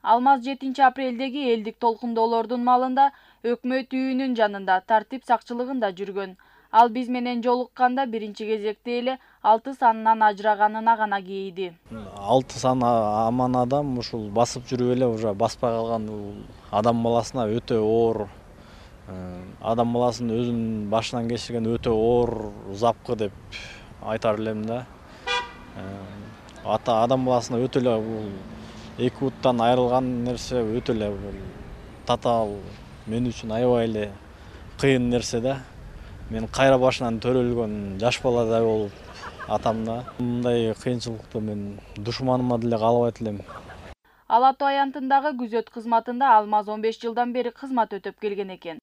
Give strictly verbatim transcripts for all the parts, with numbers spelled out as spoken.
Алмаз жетинчи апрелдеги элдик толкундоолордун маалында өкмөт үйүнүн жанында тартип сакчылыгында жүргөн. Ал биз менен жолукканда биринчи кезекте эле алты санынан ажыраганына гана кейиди. алты сан аман адам ушул басып жүрүп эле уже баспай калган адам баласына өтө оор, адам баласынын өзүнүн башынан кечирген өтө оор запкы деп айтар элем да. Ата адам баласына өтө эле бул эки буттан айрылган нерсе өтө эле татаал, мен үчүн аябай эле кыйын нерсе да. Мен кайра башынан төрөлгөн жаш баладай болуп атамда. Мындай кыйынчылыкты мен душманыма деле каалабайт элем. Ала Ато аянтындагы күзөт кызматында Алмаз он беш жылдан бери кызмат өтөп келген экен.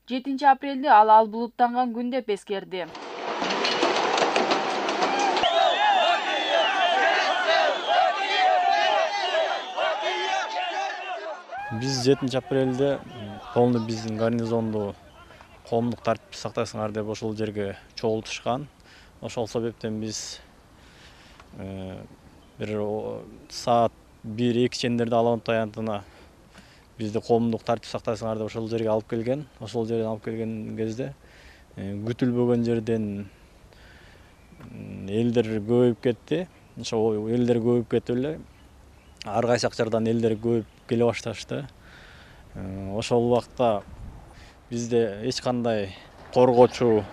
жетинчи апрелди ал ал булуттанган күн деп эскерди. Биз жетинчи апрелде полный биздин гарнизонду коомдук тартипти сактайсыңар деп ошол жерге чогултушкан. Ошол себептен биз бир саат бир эки чендерде Ала Ато аянтына бизди коомдук тартип сактайсыңар деп ошол жерге алып келген. Ошол жерден алып келген кезде күтүлбөгөн жерден элдер көбөйүп кетти. Ошол элдер көбөйүп кетип эле ар кайсы жактардан элдер көбөйүп келе башташты. Ошол убакта бизде эч кандай коргоочу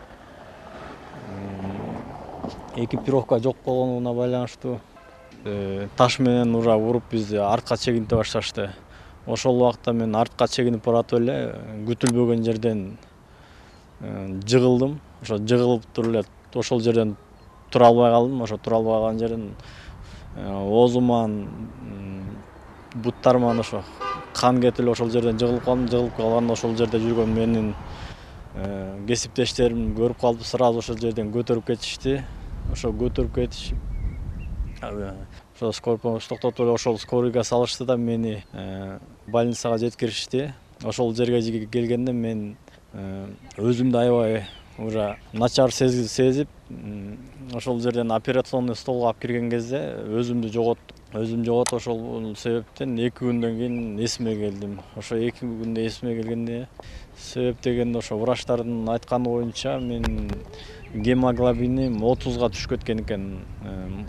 экипировка жок болгонуна байланыштуу таш менен ура уруп бизди артка чегинте башташты. Ошол убакта мен артка чегинип баратып эле күтүлбөгөн жерден жыгылдым. Ошо жыгылып туруп эле ошол жерден тура албай калдым. Ошо тура албай калган жерден оозуман, буттарыман ошо кан кетип эле ошол жерден жыгылып калдым. Жыгылып калганда ошол жерде жүргөн менин кесиптештерим көрүп калып сразу ошол жерден көтөрүп кетишти. Ошо көтөрүп кетишип ошо скорый помощь токтотуп эле ошол скорыйга салышты да мени больницага жеткиришти. Ошол жерге келгенде мен өзүмдү аябай уже начар сезип, ошол жерден операционный столго алып кирген кезде өзүмдү жоготтум. Өзүм жоготуп ошол себептен эки күндөн кийин эсиме келдим. Ошо эки күндө эсиме келгенде себеп дегенде ошо врачтардын айтканы боюнча мен гемоглобиним отузга түшүп кеткен экен.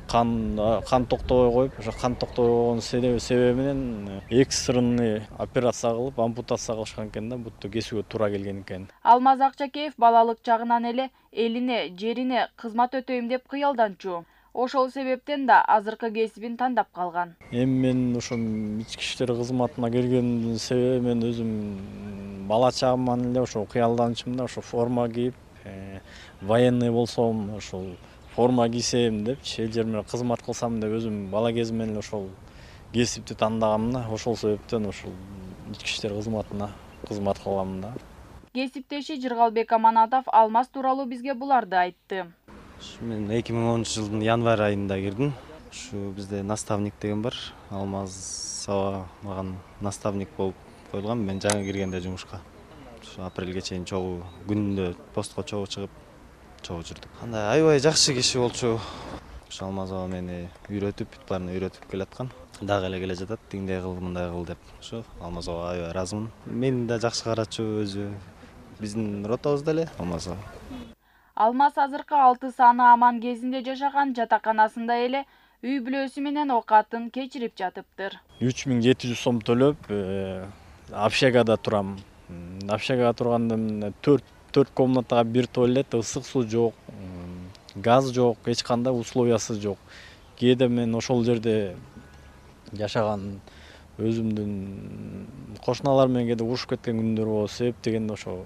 Кан кан токтобой коюп, ошо кан токтобой болгон себеби менен экстренный операция кылып, ампутация кылышкан экен да, бутту кесүүгө туура келген экен. Алмаз Акчакеев балалык чагынан эле элине, жерине кызмат өтөйм деп кыялданчу. Ошол себептен да азыркы кесибин тандап калган. Эми мен ошо ички иштер кызматына келгендин себеби мен өзүм бала чагыман эле ошо кыялданчумун да, ошо форма кийип, военный болсом, ошол форма кийсем депчи, эл жер менен кызмат кылсам деп өзүм бала кезимден эле ошол кесипти тандагам да. Ошол себептен ошол ички иштер кызматына кызмат кылам да. Кесиптеши Жыргалбек Аманатов Алмаз тууралуу бизге буларды айтты. Мен эки миң онунчу жылдын январь айында кирдим. Ушу бизде наставник деген бар. Алмаз аба маган наставник болуп коюлган. Мен жаңы киргенде жумушка. Ушу апрелге чейин чогуу күнүндө постко чогуу чыгып, чогуу жүрдүк. Кандай аябай жакшы киши болчу. Ушу Алмаз аба мени үйрөтүп, бүт баарын үйрөтүп келаткан. Дагы эле келе жатат, тиңдей кыл, мындай кыл деп. Ушу Алмаз аба аябай ыраазымын. Мени да жакшы карачу өзү. Биздин ротабызда эле Алмаз аба. Алмаз азыркы алты саны аман кезинде жашаган жатаканасында эле үй бүлөсү менен окатын кечирип жатыптыр. үч миң жети жүз сом төлөп, общагада турам. Общагада турганда төрт төрт комнатага бир туалет, ысык суу жок, газ жок, эч кандай условиясы жок. Кээде мен ошол жерде жашаган өзүмдүн кошуналар менен кээде урушуп кеткен күндөр болот. Себеп дегенде ошо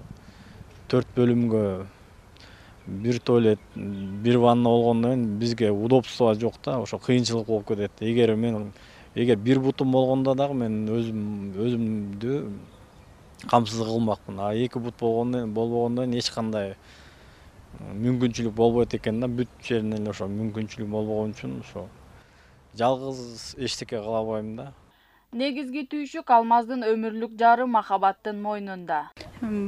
төрт бөлүмгө бир туалет, бир ванна болгондон кийин бизге удобство жок да, ошо кыйынчылык болуп кетет. Эгер мен эгер бир бутум болгондо дагы мен өзүм өзүмдү камсыз кылмакмын. А эки бут болгондон болбогондон кийин эч кандай мүмкүнчүлүк болбойт экен да. Бүт жеринен эле ошо мүмкүнчүлүк болбогон үчүн ошо жалгыз эчтеке кыла албайм да. Негизги түйшүк Алмаздын өмүрлүк жары Махабаттын мойнунда.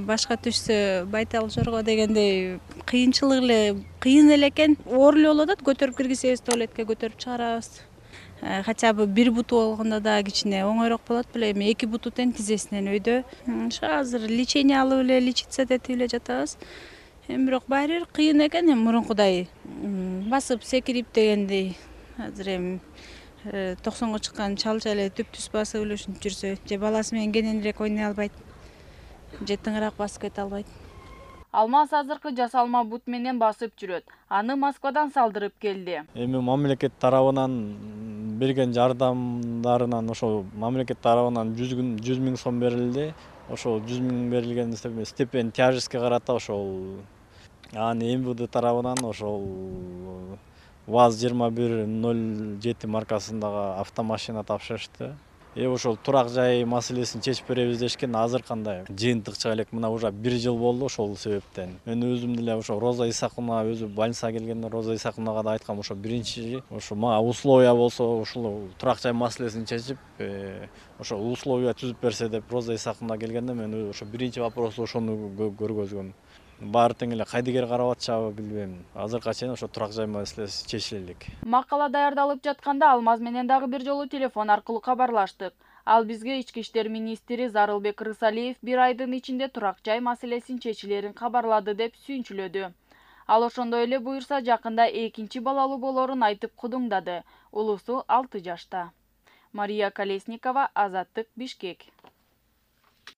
Башка түшсө байтал жорго дегендей кыйынчылык эле, кыйын эле экен. Оор эле болуп атат, көтөрүп киргизебиз туалетке, көтөрүп чыгарабыз. хотя бы бир буту болгондо да кичине оңойрок болот беле, эми эки буту тең тизесинен өйдө. Ошо азыр лечение алып эле, лечиться этип эле жатабыз. Эми бирок баары бир кыйын экен, эми мурункудай басып секирип дегендей. Азыр эми токсонго чыккан чалча эле түп-түз басып эле ушинтип жүрсө, же баласы менен кененирээк ойной албайт, же тыңыраак басып кете албайт. Алмаз азыркы жасалма бут менен басып жүрөт. Аны Москвадан салдырып келди. Эми мамлекет тарабынан берген жардамдарынан ошол мамлекет тарабынан жүз миң сом берилди. Ошол жүз миң берилген степень тяжестке карата ошол анан МВД тарабынан ошол ВАЗ жыйырма бир ноль жети маркасындагы автомашина тапшырышты. Э ошол турак жай маселесин чечип беребиз дешкен. Азыр кандай жыйынтык чыга элек, мына уже бир жыл болду ошол себептен. Мен өзүм деле ошо Роза Исаковна өзү больницага келгенде Роза Исаковнага да айткам, ошо биринчи ошо мага условия болсо ушул турак жай маселесин чечип, ошо условия түзүп берсе деп Роза Исаковна келгенде мен ошо биринчи вопросу ошону көргөзгөм. Баары тең эле кайдыгер карап атышабы билбейм. Азыркыга чейин ошо турак жай маселеси чечиле элек. Макала даярдалып жатканда Алмаз менен дагы бир жолу телефон аркылуу кабарлаштык. Ал бизге ички иштер министри Зарылбек Рысалиев бир айдын ичинде турак жай маселесин чечилерин кабарлады деп сүйүнчүлөдү. Ал ошондой эле буюрса жакында экинчи балалуу болорун айтып кудуңдады. Улусу алты жашта. Мария Колесникова, Азаттык, Бишкек.